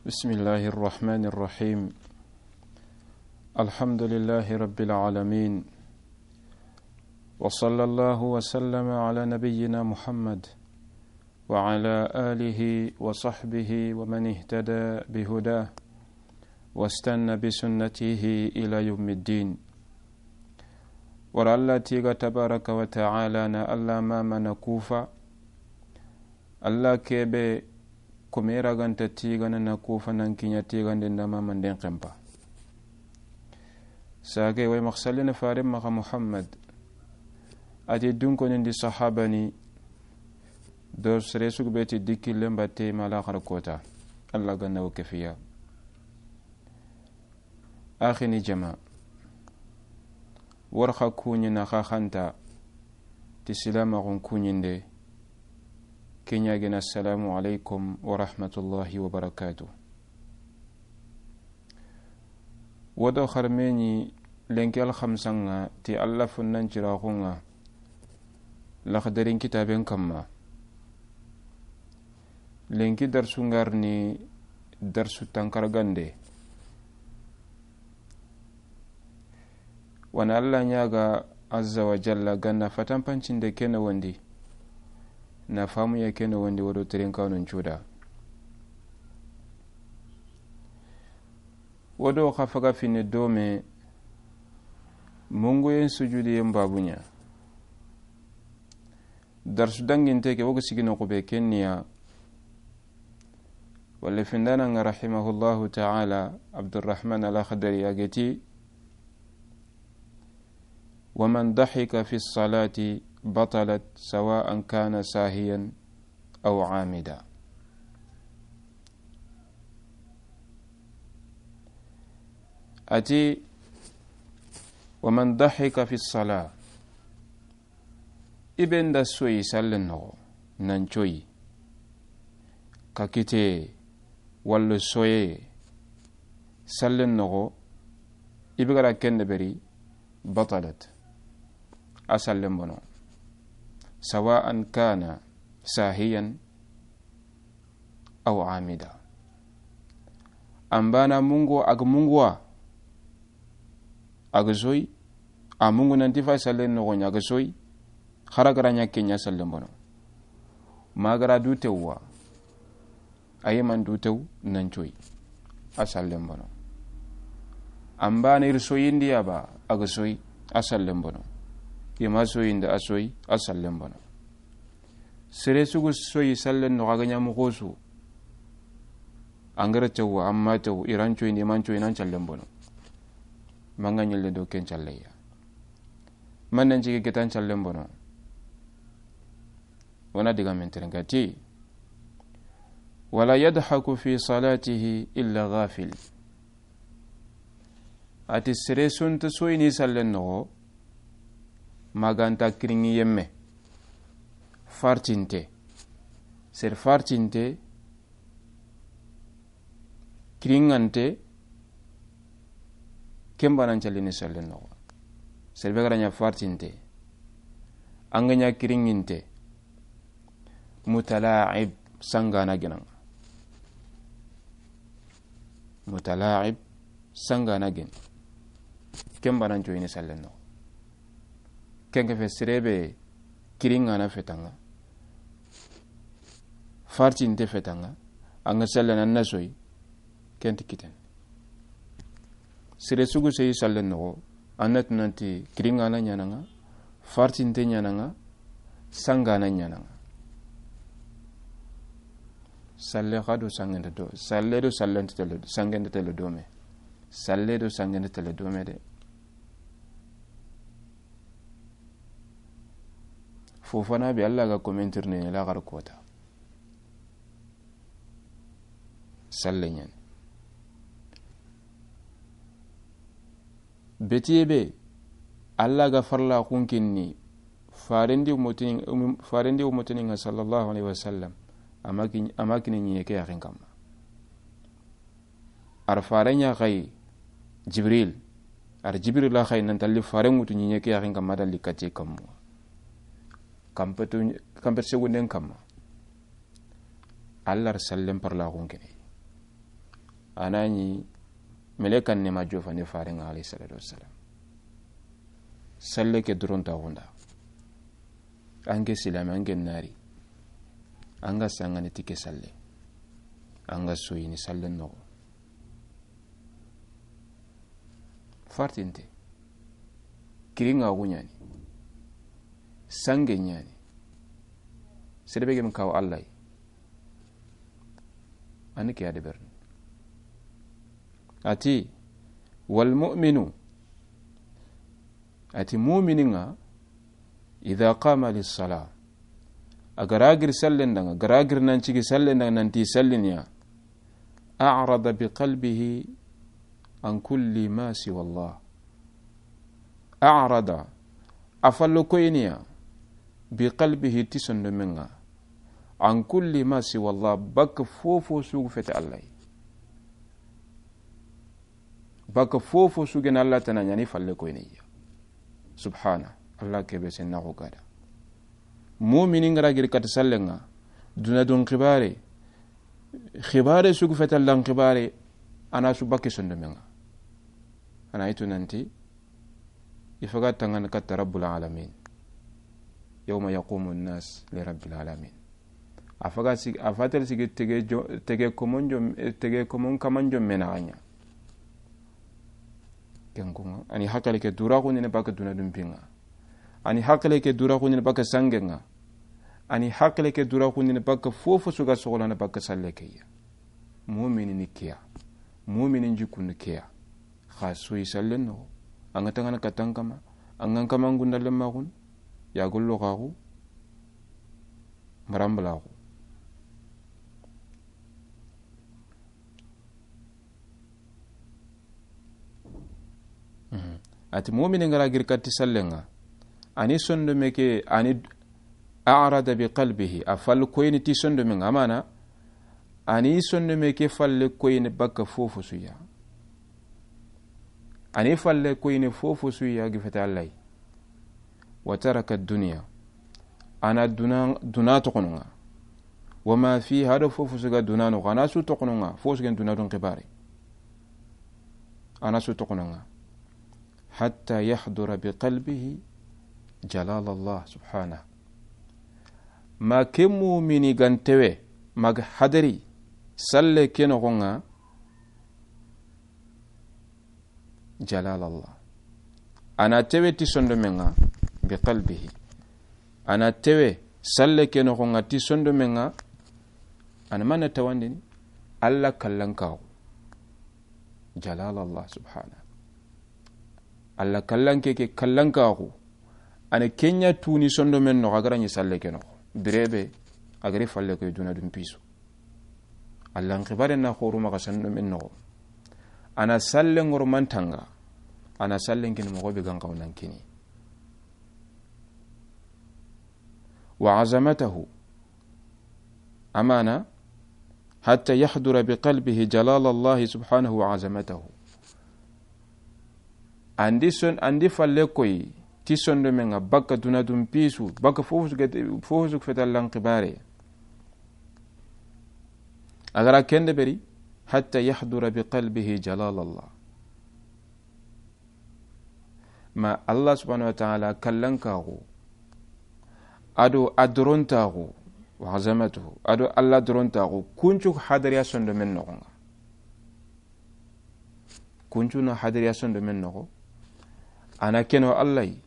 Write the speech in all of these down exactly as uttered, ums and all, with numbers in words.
بسم الله الرحمن الرحيم. الحمد لله رب العالمين. وصلى الله وسلم على نبينا محمد وعلى آله وصحبه ومن اهتدى بهداه واستن بسنته إلى يوم الدين. Wara Alla tiiga tabaraka wa taala na Alla maama na kufa. Alla kebe kome raganta tiigana na kufa nan kiɲa tiigande nda maamanden xenpa. Sage way maxa sallina faren maxa Muhammad. A ti dunkonindi sahabani do sere sugu be ti dikillen batte ma laxara kota. Alla ganna wo kefiya. Axini jama. War xa kuɲi na xa xanta ti silamaxun kuɲinde. Keɲagena, assalamu alaikum wa rahmatullahi wa barakatuh. Wodo xarmeɲi lenki alxamsanga ti Alla funnan ciraxunga. Laxdarin kitaben kamma. Lenki darsu ngarni darsu tankaragande. Wana Alla ɲaga azza wa jalla ganna fatanpancinde kene wondi. Na famuye kene wondi wodo terenkanun cuda. Wodo xa faga fine dome. Munguyen sujudiyen babuɲa. Darsu danginte ke wogo sigino xube kenniya. Walla findana nga rahimahullahu taala Abdurrahman al-Akhdari a geti. ومن ضحك في الصلاة بطلت سواء كان ساهيا أو عامدا. A ti, ومن ضحك في الصلاة. I be nda soyi sallen noxo, nan coyi. Ka kite, walla soye, sallen noxo, i be gara ken deberi, بطلت. A sallen bono. سواء كان ساهيا أو عامدا. An bana mungo, a ga munguwa, a ga soyi, a mungu nanti fa sallen noxoɲa, a ga soyi, xara gara ɲa keɲa sallen bono. Ma gara du tewwa, a yi man du tew nan coyi, a sallen bono. An bana ir soyindi ya ba, a ga soyi, a sallen bono. I ma soyindi, a soyi, a sallen bono. Sere sugu soyi sallen noxo a ga ɲa moxo su. An gara tewwa, an ma tew, i ran coyindi, i man coyi, nan callen bono. Manga ɲelle do ken calleya. Man nan cigi getan callen bono. Wona diga men terengati. ولا يضحك في صلاته إلا غافل. A ti sere su nta soyini sallen noxo, ma ga nta kiriŋi yemme. Fartinte. Sere fartinte, kiriŋante, ken banan callini sallen noxo. Sere be gara ɲa fartinte, an ga ɲa kiriŋinte, متلاعب, sangana genaŋa. متلاعب, sangana gen. Ken banan coyini sallen noxo. Ken ke fe sere be kiriŋana fetaŋa, fartinte fetaŋa, an ga sallen an na soyi, ken ti kiten. Sere sugu seyi sallen noxo, an na tunanti kiriŋana ɲanaŋa, fartinte ɲanaŋa, sangana ɲanaŋa. Salle xa do sangente do, salle do sallente tele, sangente tele dome. Salle do sangente tele dome de. Fofana be Alla ga commentaire ne la gar kota. Salle ɲan. Betiye be, Alla ga farla xunkinni, farendi umotini, um, farendi umotini nga sallallahu alaihi wasallam, a ma kin-, a ma kini ɲiye ke yaxin kamma. Ar fare ɲa xayi, Jibril, ar Jibril la xayi nan talli fare ŋutu ɲiye ke yaxin kamma dalli katiye kammu. Kampetu, kampet segunden kamma. Alla ar sallen parlaxun kene. A na ɲi melekan ne ma jofandi faren ŋa, alayhi salatu wassalam. Salle ke duronta xunda. An ke silame, an ke nari. An ga sangani ti ke salle. An ga soyini salle noxo. Fartinte. Kirinŋa xu ɲani. Sange ɲani. Sere be gem kaw Allah yi. Ani ke ya de berni. A ti, wal mu'minu. A ti, mumini ŋa, idha qama lissala, a ga ra giri sallen da ŋa, a ga ra giri nan cigi sallen da ŋa, nan ti salliniya, a'rada bi qalbihi an kulli ma siwa Allah. A'rada, a fallo koyiniya, bi qalbihi, ti sondomen ŋa, an kulli ma siwa Allah, bakka fofo su ga feti Allah yi. Bakka fofo su ga na Allah tana ɲani falle koyini ya. Subhana. Allah ke be sen na xo gada. Mumini ŋa ra giri kati sallen ŋa, duna dun xibare, xibare su ga feti Allah n xibare, a na su bakka sondomen ŋa. A na yi tu nan ti, i faga tangana katta Rabbul Alamin. Yawma yaqumu nnas li Rabbil Alamin. A faga sigi, a fatel sigi tege jo-, tege komon jo-, tege komon kaman jo mena ɲa. Ken ko ŋa, a ni hakile ke dura xundini bakka duna dun pi ŋa. A ni hakile ke dura xundini bakka sange ŋa. A ni hakile ke dura xundini bakka fofo su ga soxolana bakka salle ke ya. Mumini ni ke ya. Mumini n jikun ni ke ya. Xa soyi sallen noxo. An ga tangana katan kama. An ga n kama n gunda lemmaxun. Ya gollo xaxu. Marambalaxu. Mhm. A ti mumini ŋa ra giri kati sallen ŋa. A ni sondome ke, a ni a'rada bi qalbihi, a fallo koyini ti sondomen ŋa, amana, a ni sondome ke falle koyini bakka fofo su ya. A ni falle koyini fofo su ya ga feti Allah yi. Wa taraka dunya. A na duna, duna toxono ŋa. Wa ma fiha, a do fofo su ga duna noxo, a na su toxono ŋa, fofo su ga duna dun xibare. A na su toxono ŋa. Hatta yahdura bi qalbihi jalal Allah subhanahu. Ma ke mumini ga n tewe, ma ga hadari, salle ke noxo ŋa, jalal Allah. A na tewe ti sondomen ŋa, bi qalbihi. A na tewe, salle ke noxo ŋa ti sondomen ŋa, a na mana tawandini, Allah kallankaxu. Jalal Allah subhanahu. Allah kallanke ke kallankaxu. A na ke ɲa tuni sondomen noxo, a ga ra ɲi salle ke noxo. Birebe, a ga ri falle koy duna dun pisu. Allah n xibare na xoru maxa sondomen noxo. A na salle ŋoro mantanga. A na sallen kini moxo be ga n xaw nan kini. Wa azamatahu. Amana, hatta yahdura bi qalbihi jalal Allah subhanahu wa azamatahu. An di son, an di falle koy, ti sondomen ŋa bakka duna dun pisu, bakka fofo su ga, fofo su ga feti Allah n xibare. A ga ra ken deberi, hatta yahdura bi qalbihi jalal Allah. Ma Allah subhanahu wa ta'ala kallankaxu, a do a dorontaxu, wa azamatuhu, a do Allah dorontaxu, kuncu hadariya sondomen noxo ŋa. Kuncu na hadariya sondomen noxo, a na ke no Allah yi,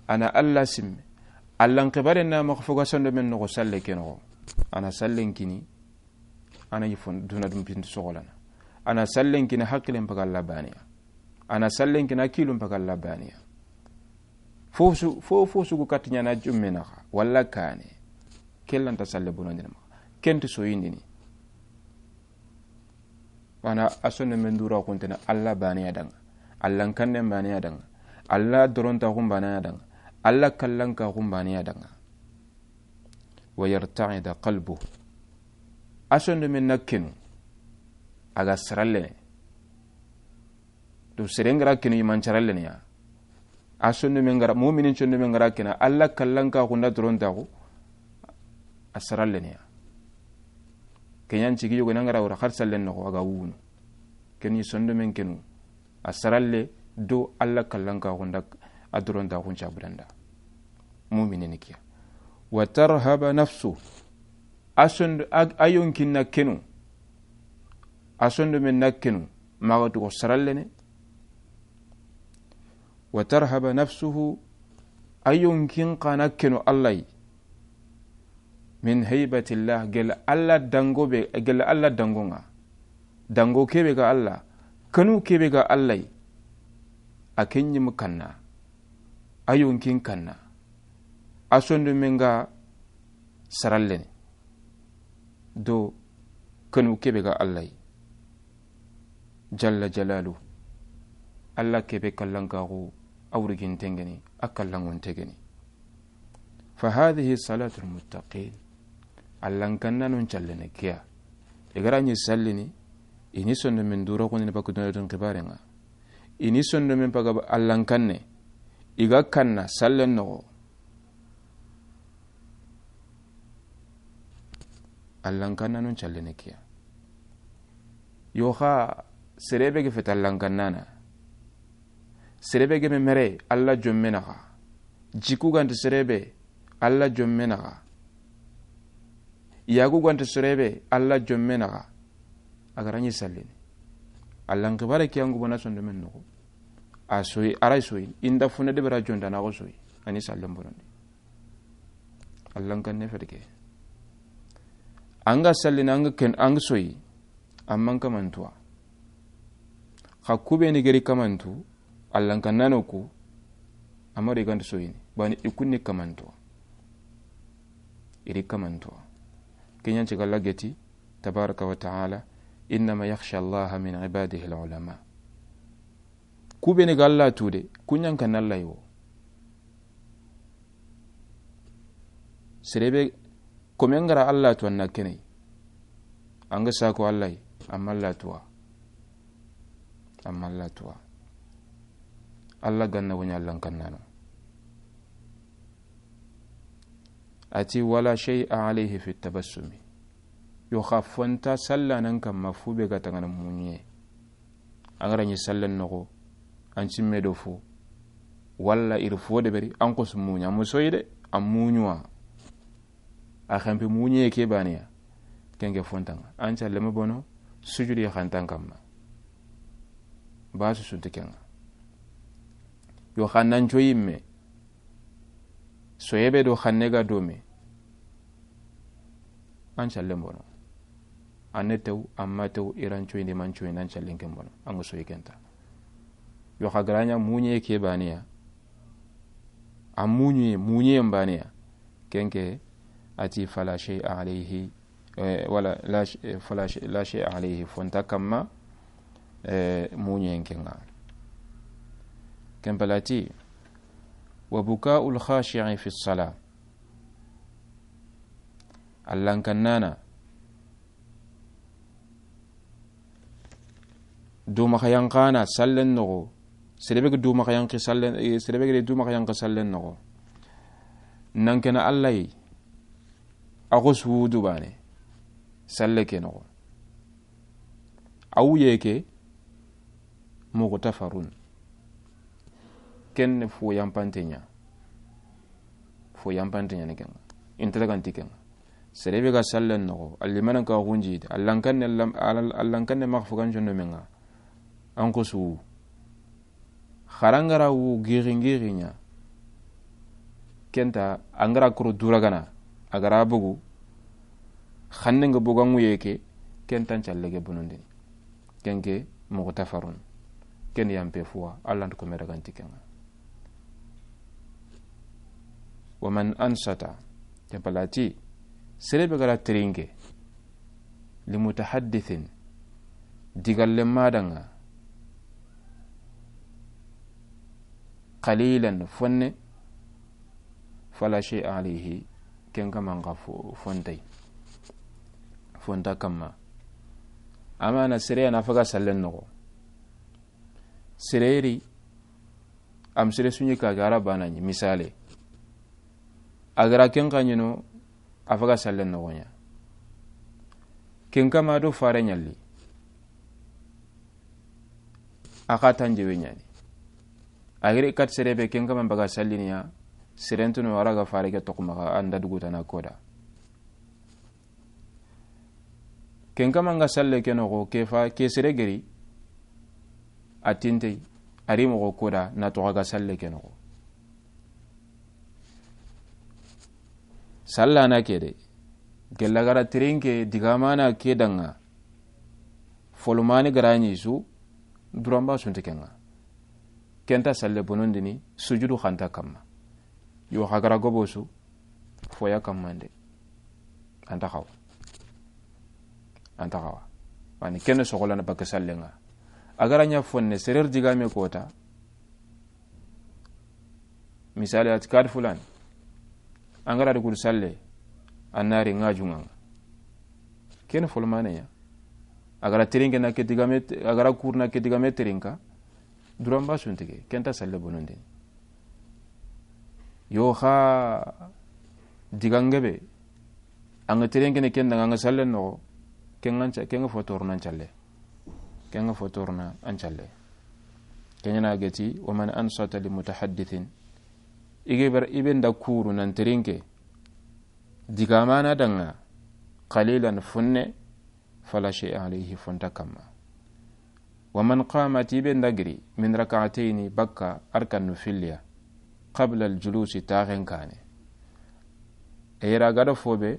a na Allah simme, Allah n xibare na maxa fo ga sondomen noxo salle ke noxo, a na sallen kini, a na yi fon duna dun pintu soxolana. A na sallen kini hakilen paga Allah baniya. A na sallen kini a kilun paga Allah baniya. Fofo su, fo, fofo su ga kati ɲa na jumme naxa, walla kane. Ke lanta salle bonondini maxa. Ken ti soyindini. Wana a sondomen dura xuntene Allah baniya da ŋa. Allah n kannen baniya da ŋa. Allah dorontaxun baniya da ŋa. Allah kallankaxun baniya da ŋa. Wa yarta'ida qalbuhu. A sondomen na kenu. A ga sarallene. To sere n ga ra kenu i man carallene ya. A sondomen ga ra, muminin sondomen ga ra kena, Allah kallankaxu nda dorontaxu, a sarallene ya. Ke ɲa n cigi yogo na n ga ra wara xar sallen noxo, a ga wunu. Ken ni sondomen kenu, a saralle do Alla kallankaxu nda a dorontaxun cabudanda. Mumine ni kiya. Wa tarhaba nafsu, a sondo, a, a yonkin na kenu, a sondomen na kenu, maxa tugo sarallene. Wa tarhaba nafsuhu, a yonkin xa na kenu Alla yi. Min haybatillah, gel Alla dango be, gel Alla dango nga. Dango kebe ga Alla, kanu kebe ga Alla yi. A ken ɲi mu kanna, a yonkin kanna, a sondomen ga sarallene do kanu kebe ga Alla yi. Jalla jalalu. Alla kebe kallankaxu, a wurigintengeni, a kallangontegeni. Fa hadhihi salatul muttaqin. Allankannanon callene kiya. I ga ra ɲi sallini, i ni sondomen dura kundini bakudunadun xibarenga. I ni sondomen paga allankanne, i ga kanna sallen noxo. Allankannanon callene kiya. Yo xa, serebe ge feta allankannana. Serebe ge me mere Alla jomme naxa. Jiku ganta serebe Alla jomme naxa. Yagu ganta serebe Alla jomme naxa. A ga ra ɲi sallini. Allan xibare kiya ngubo na sondomen noxo. A soyi, a ra soyi. Inda funa de bara jonda na go soyi. A ni sallen bonondi. Allankanne feteke. Anga sallini, anga ken, anga soyi. Amman kamantuwa. Xa kubeni geri kamantu, allankannano ku, amari ganta soyini. Bani i kunni kamantuwa. Iri kamantuwa. Kenyan ci galla geti, tabaraka wa ta'ala, innama yakhsha Allaha min ibadihi al-ulama. Kubeni ga Alla tude, kunyan kan Alla yo. Serebe, komen ga ra Alla tu anna kenei. Anga sako Alla yi, amma Alla tuwa. Amma Alla tuwa. Alla ganna woni allankannano. Ati wala shay'a alayhi fi tabassumi. Yo xa fonta sallanan kamma fu be ga tangana muɲe. An ga ra ɲi sallen noxo, an cimme do fo, walla iri fo de beri, an xo su muɲa, a musoyi de, a muɲuwa. A xempe muɲe ke baniya, kenke fontanga. An calleme bono, sujudi xantan kamma. Ba su sunti kenga. Yo xannan coyi me, soyebe do xanne ga do me. An callen bono. An ne tew, amma tew, iran coyindi, man coyindi, an callen ken bono. An ga soyi kenta. Yo xa ga ra ɲa muɲe ke baniya. A muɲe, muɲe baniya. Kenke ati fala shay'a alayhi, eh, wala la sh-, eh, fala sh-, la shay'a alayhi fonta kamma, eh, muɲen kenga. Ken palati, wa buka'ul khashi'i fi salah. Allankannana. Dumaxa yanxana sallen noxo. Serebe ge dumaxa yanxi sallen, eh, serebe ge dumaxa yanxi sallen noxo. Nan kena Alla yi. A xo sudu bane. Salle ke noxo. A wuye ke. Muxtafarun. Ken fo yampante ɲa. Fo yampante ɲa ni kenga. Inta daganti kenga. Serebe ga sallen noxo, allimanan ka xunji, allankanne lam-, al-, allankanne maxa fugan condo menga. An ko su. Xarangara wu gixi gixi ɲa. Kenta, angara kuro duragana, agara bugu. Xanne nga bugan wuye ke, kenta an calle ge bonondini. Kenke, muxtafarun. Ken yampe fuwa, Alla nta ko me daganti kenga. Wa man ansata, ke palati, serebe gara teringe, li mutahaddithin, digalle madanga, qalilan fonne, fala shay'a alayhi, ken kaman ka fo-, fontay. Fonta kamma. Amana sere ana faga sallen noxo. Sereri, am sere suɲi ka gara bana ɲi, misale. Agara ken ka ɲino, a faga sallen noxo ɲa. Ken kama do fare ɲalli. A xa tanjewe ɲaani. A giri kat sere be ken kama n baga salliniya. Serentunu a ra ga fare ke toxo maxa an da dugu tana koda. Ken kama n ga salle ke noxo ke fa ke sere geri. A tintey a ri moxo koda na toxo a ga salle ke noxo. Sallana ke de gella gara tirinke digamana ke danga. Folomani garani su duramba sunti kenga. Kenta salle bonondini sujudu xanta kamma. Yo xa gara gobo su foya kammande. Anta xawa. Anta xawa. Mani kene soxolana baka sallenga. A gara ɲa fonne serer digame kota. Misali ati kad fulan. An gara di kudu salle. An nari nga junganga. Ken folmane ya. A gara terinke na ke digame a gara kurna ke digame terinka. Duramba suntike kenta salle bonondini. Yo xa digangebe. An ga terinke ne ken danga an ga salle noxo. Ken ga fotorna an calle. Ken ga fotorna an calle. Kenyana geti wa man ansata li mutahaddithin. Ige ber ibe nda kuru nan terinke. Digamana danga qalilan funne. Fala shay'a alayhi fonta kamma. Wa man qama ti be ndagiri min rak'atayni bakka arkannu filliya. Qabla al julusi taxen kane. E yera gado fobe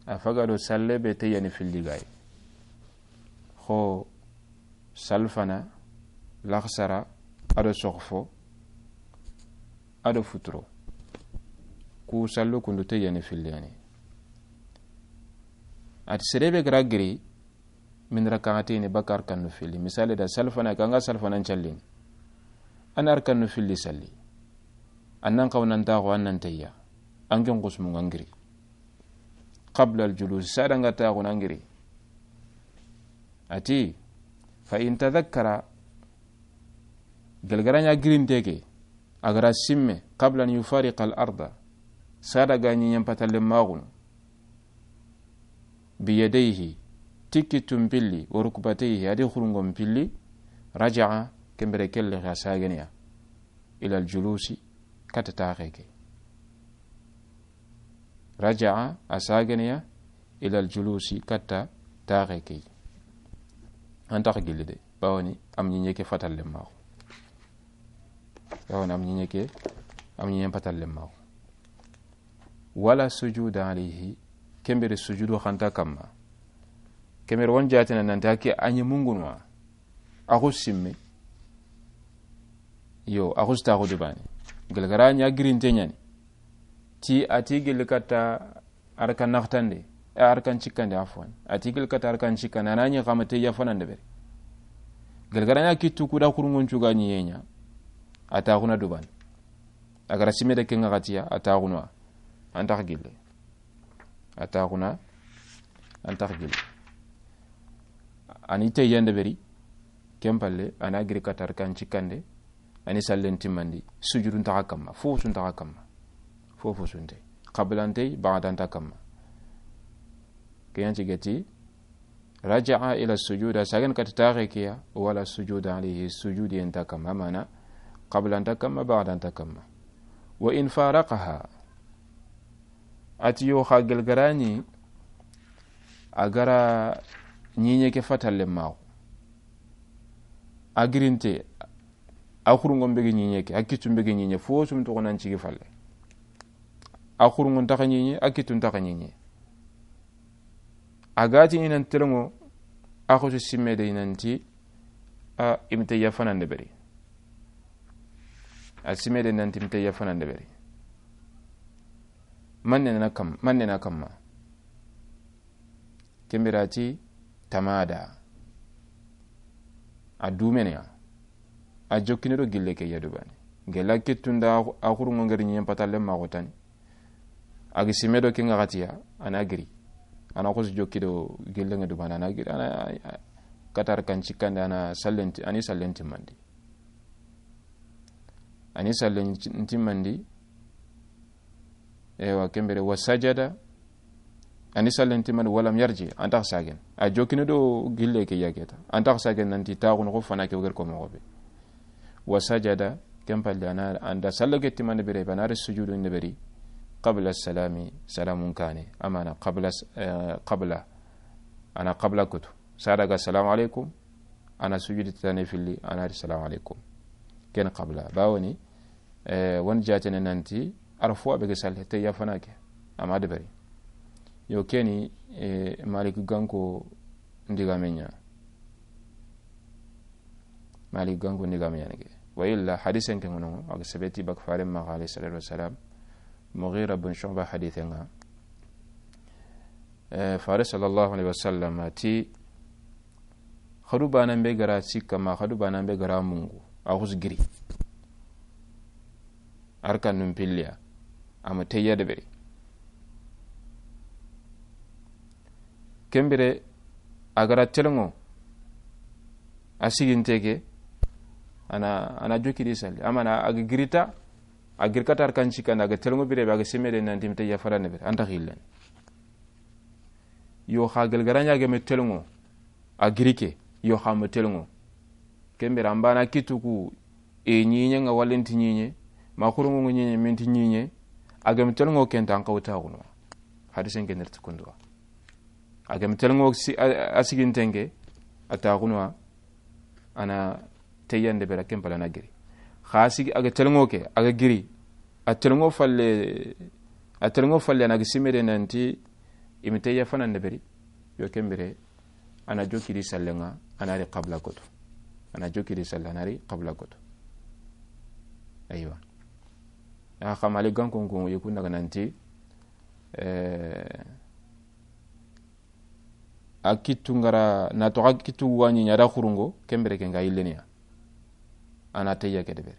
a fagado salle be teyani filli gay. Xo salfana laxsara ado soxfo ado futuro. Ku sallu kundu teyani filliyani. Ati serebe gara giri. Min rak'atayni bakar kannu filli misali da salfana kanga salfana ncallin. An arkannu filli salli. Annan qawnan taxo annan tayya. An ken qusmu ngangiri. Qabla al julus sada nga taxo nangiri. Ati fa in tadhakkara. Gelgaranya girinteke. A gara simme qabla an yufariqa al arda. Sada ga ɲiɲen patalle maxunu. Biyadayhi ti kittun pilli wa rukbatayhi adi xurungon pilli. Raja'a kembere kelle xa sageneya. Ila al julusi kata taxe ke. Raja'a a sageneya. Ila al julusi kata taxe ke. Antax gilli de. Bawoni am ɲiɲe ke fatalle maxu. Bawoni am ɲiɲe ke am ɲiɲe patalle maxu. Wala sujuda alayhi. Kembere sujudu xanta kamma. Kembere won jatina nanti hakke a ɲi mungunwa. Axu simme. Yo axu staxu dubani. Gelgara ɲa girinte ɲani. Ti ati gilli katta. Arkan naxtande. Arkan cikkande afwan ati gilli katta arkan cikkande ana ɲi xama te yafanande beri. Gelgara ɲa kittu kuda xurungun cuga ɲi yenya. Ata xuna duban. A gara sime de kenga xatiya ata xunwa. Antax gille. A taxuna. Antax gili. Ani teyande beri. Ken palle ana giri katar kan cikkande. Ani sallen timmandi sujudun taxa kamma fofo sun taxa kamma. Fofo sunte. Qablantey baxadanta kamma. Keyan cigeti. Raja'a ila sujuda sagen kati taxe kiya wala sujuda alayhi sujudi yenta kamma mana. Qablanta kamma baxadanta kamma. Wa in faraqaha. Ati yo xa gelgarani. A gara ɲiɲe ke fatalle maxu. A girinte. A xurungon bege ɲiɲe ke a kittun bege ɲiɲe fo sum toxo nan cigi falle. A xurungon taxa ɲiɲe a kittun taxa ɲiɲe. A gati inan telengo. A xoto simme de inanti. A imte yafanande beri. A simme de inanti imte yafanande beri. Manne na kam manne na kamma. Kembirati tamada. A dumeneya. A jokkine do gille ke yadubani. Gella kittunda a xurungo ngeri ɲiyen patalle maxotani. A gi sime do ke ŋaxatiya ana giri. Ana xosi jokki do gille ŋe dubani ana giri ana. Katar kan cikkande ana sallenti ani sallenti mandi. Ani sallenti mandi. Ewa kembere wa sajada. A ni sallen timandi, walam yarji, a nta xa sagen. A jokini do gille ke ya keta. A nta xa sagen nanti taxunu xo fana ke wo geri ko moxo be. Wa sajada, ken palle a na, a nda sallo ke timandi bire be, a na ri sujudu ndeberi, qabla salami, salamun kane. Amana qabla, eh, qabla. A na qabla kutu. Sadaga salamu alaikum, a na sujudi tane filli, a na ri salamu alaikum. Ken qabla. Bawoni, eh, won jatene nanti, arfu a be ge salle, te ya fana ke. Ama deberi. Yo keni, eh, Malik ganko ndiga menya. Malik ganko ndiga menya nege. Wa illa hadisen ke ngono, aga sabeti bak fare ma alayhi salatu wassalam. Mughira bin Shu'ba hadisen nga. Eh, fare sallallahu alaihi wasallam ti, xadu banan be gara sikka ma, xadu banan be gara mungu, a xus giri. Arkanun pilliya, ama teyya deberi. Kembire, a gara telngo, a siginte ke, a na, a na jokiri salli. Amana a ga girita, a girkata arkan sikkanda, a ga telngo bire be, a ga simede nanti mi teyya fara deberi, a nta xillen. Yo xa gelgaranya ga me telngo, a giri ke, yo xa me telngo. Kembira mbana kituku e ɲiɲe nga walenti ɲiɲe, ma xurungu ɲiɲe, minti ɲiɲe, a ga me telngo kenta an kawta guno. Hadisen ke nerti kunduwa. A ga me telngo si, a, a sigintenke, a ta guno. A na teyya debera ken pala na giri. Xa sigi a ga telngo ke, a ga giri. A telngo falle, a telngo falle a na ga simede nanti i mi teyya fana deberi. Yo kembire, a na jokiri sallenga, a na ri qabla koto. A na jokiri salle, a na ri qabla koto. Aywa. A xa Malik ganko ko yekun daga nanti, eh, a kittu ngara, na to a kittu wa ɲiɲe a da xurungo, kembire ke nga yilleniya. A na teyya ke deberi.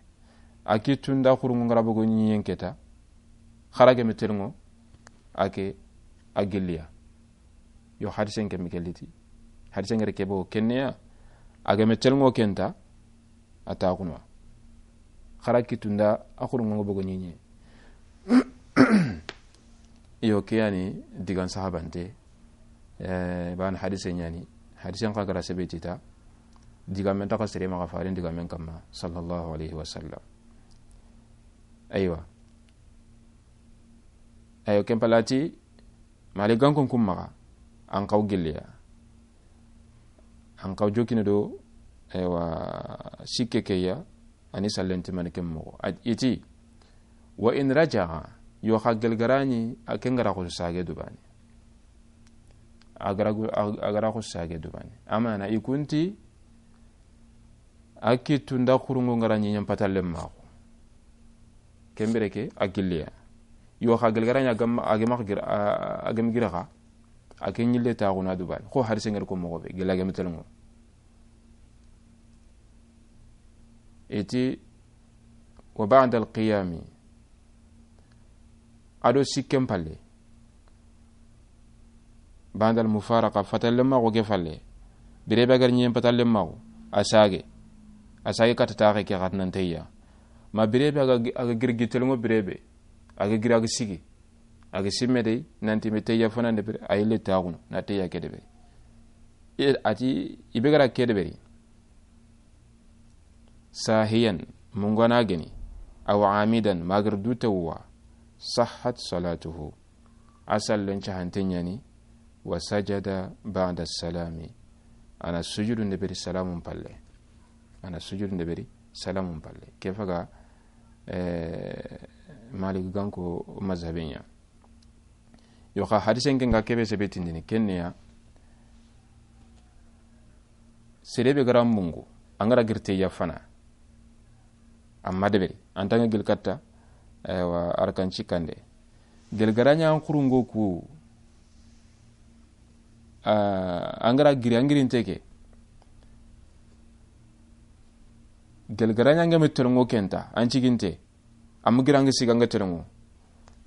A kittu nda xurungo ngara bogo ɲiɲen keta, xara ke me telngo, a ke a gilliya. Yo hadisen ke mi ke liti. Hadisen ngere ke bogo kenneya, a ga me telngo kenta, a ta kuno. Xara kittu nda a xurungo bogo ɲiɲe. Iyo, ke yani digan sahabante, eh, ban hadise ɲani, hadisen xa gara sebetita, digamen taxa sere maxa farin digamen kamma, sallallahu alaihi wasallam. Aywa. Ayo, ken palati, Malik gankon kum maxa, an kaw gilliya. An kaw jokini do, aywa, sikke keya, ani sallenti mani ken moxo. A, iti, wa in raja'a, yo xa gelgarani, a ken gara xo sage dubani. A gara gu-, a, a gara xo sage dubani. Amana, i kunti, a kittu nda xurungo ngara ɲiɲen patalle maxu. Kembire ke, a gilliya. Yo xa gelgarani a gam, a gem gira, a, a gem gira xa. A ke ɲille taxuna dubani. Xo hadise ngari ko moxo be, gilla gem telngo. Iti, wa ba'da al-qiyami. A do sikken palle. Ba'da al-mufaraqa, fatalle maxo ke falle. Birebe a gar ɲiɲen patalle maxo. A sage. A sage kata taxe ke xat nan teyya. Ma birebe a ga, a ga giri gi telngo birebe. A ga giri a ga sigi. A ga simme dey, nanti me teyya fana deberi, a yille taxunu, na teyya ke deberi. E, ati, i be gara ke deberi. Sahiyan, mungana geni, aw amidan, magar dutewwa, sahhat salatuhu. A sallen cahante ɲani, wa sajada ba'da salami. A na sujudu ndeberi salamun palle. A na sujudu ndeberi salamun palle. Ke faga, eh, Malik ganko mazhabe ɲa. Yo xa hadisen ke nga kebe sebe tindini, kenneya. Sere be gara mungu, an gara giri teyya fana. Amma deberi, an tanga gil katta, aywa, arkan cikande. Gel garanya an xurungo ku, a, an gara giri, an girinte ke. Gel garanya nga me telngo kenta, an ciginte. Am gira nga siga nga telngo.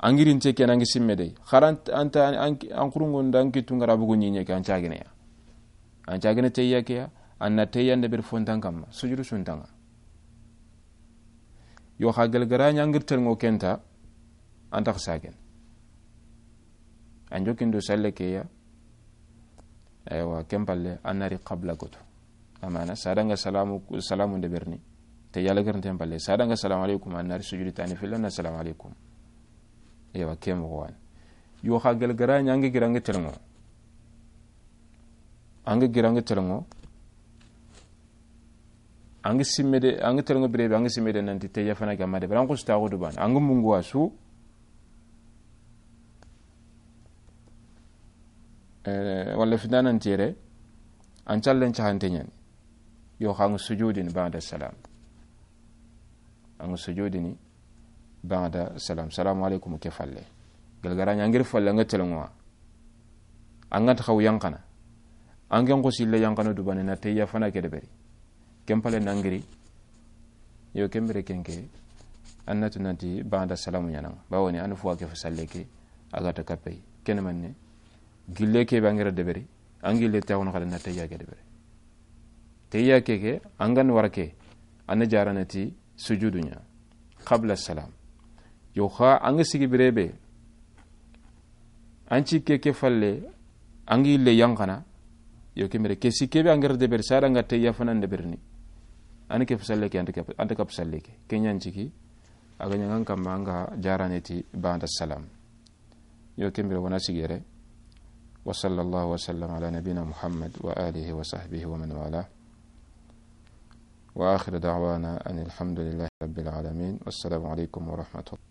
An girinte ke na nga simme dey. Xara an ta, an, an xurungo nda an kittu ngara bugu ɲiɲe ke an cagene ya. An cagene teyya ke ya. An na teyya ndeberi fontan kamma. Sujudu suntanga. Yo xa gel garanya an giri telngo kenta, an tax sagen. An jokindo salle ke ya. Aywa, ken palle, an na ri qabla goto. Amana, sadanga salamu, salamu nde berni. Te yala gernten palle, sadanga salamu alaikum, an na ri sujudi tani filla na salamu alaikum. Aywa, ke moxo wa ni. Yo xa gel gara ɲa, an ga gira an ga telenŋo. An ga gira an ga telenŋo. An ga simme de, an ga telenŋo bire be, an ga simme de nanti te ya fana ga ma de. Bara an xusu ta xudu ban. An ga mungu wa su. Eh, walla fi danan tere, an callen cahante ɲani. Yo xa an ga sujudini ba'da salam. An ga sujudini ba'da salam. Salamu alaikum ke falle. Gel gara ɲa an ga ri falle an ga telenŋo wa. An ga nta xaw yanqana. An ga nxo sille yanqana du bane na te ya fana ke deberi. Ken palle na an giri. Yo ken bire ken ke. An na tu nanti ba'da salamu ɲaana. Bawoni an fo ke fa salle ke. A ga ta kapey. Ken manne. Gille ke be an ga ra deberi. An gille ta wono xada na te ya ke deberi. Te ya ke ke, an ga na wara ke, an na jarana ti sujudu ɲa. Qabla salam. Yo xa, an ga sigi bire be, an ci ke ke falle, an ga yille yanqana, yo ke mere, ke si ke be an ga ra deberi, sada an ga te ya fana nde berni. An ke fa salle ke, an ta ke, an ta kap salle ke. Ke ɲa an ciki, a ga ɲa an kamma an ga jarane ti ba'da salam. Yo ken bire wa na sigere. وصلى الله وسلم على نبينا محمد وآله وصحبه ومن والاه. وآخر دعوانا أن الحمد لله رب العالمين. والسلام عليكم ورحمة الله.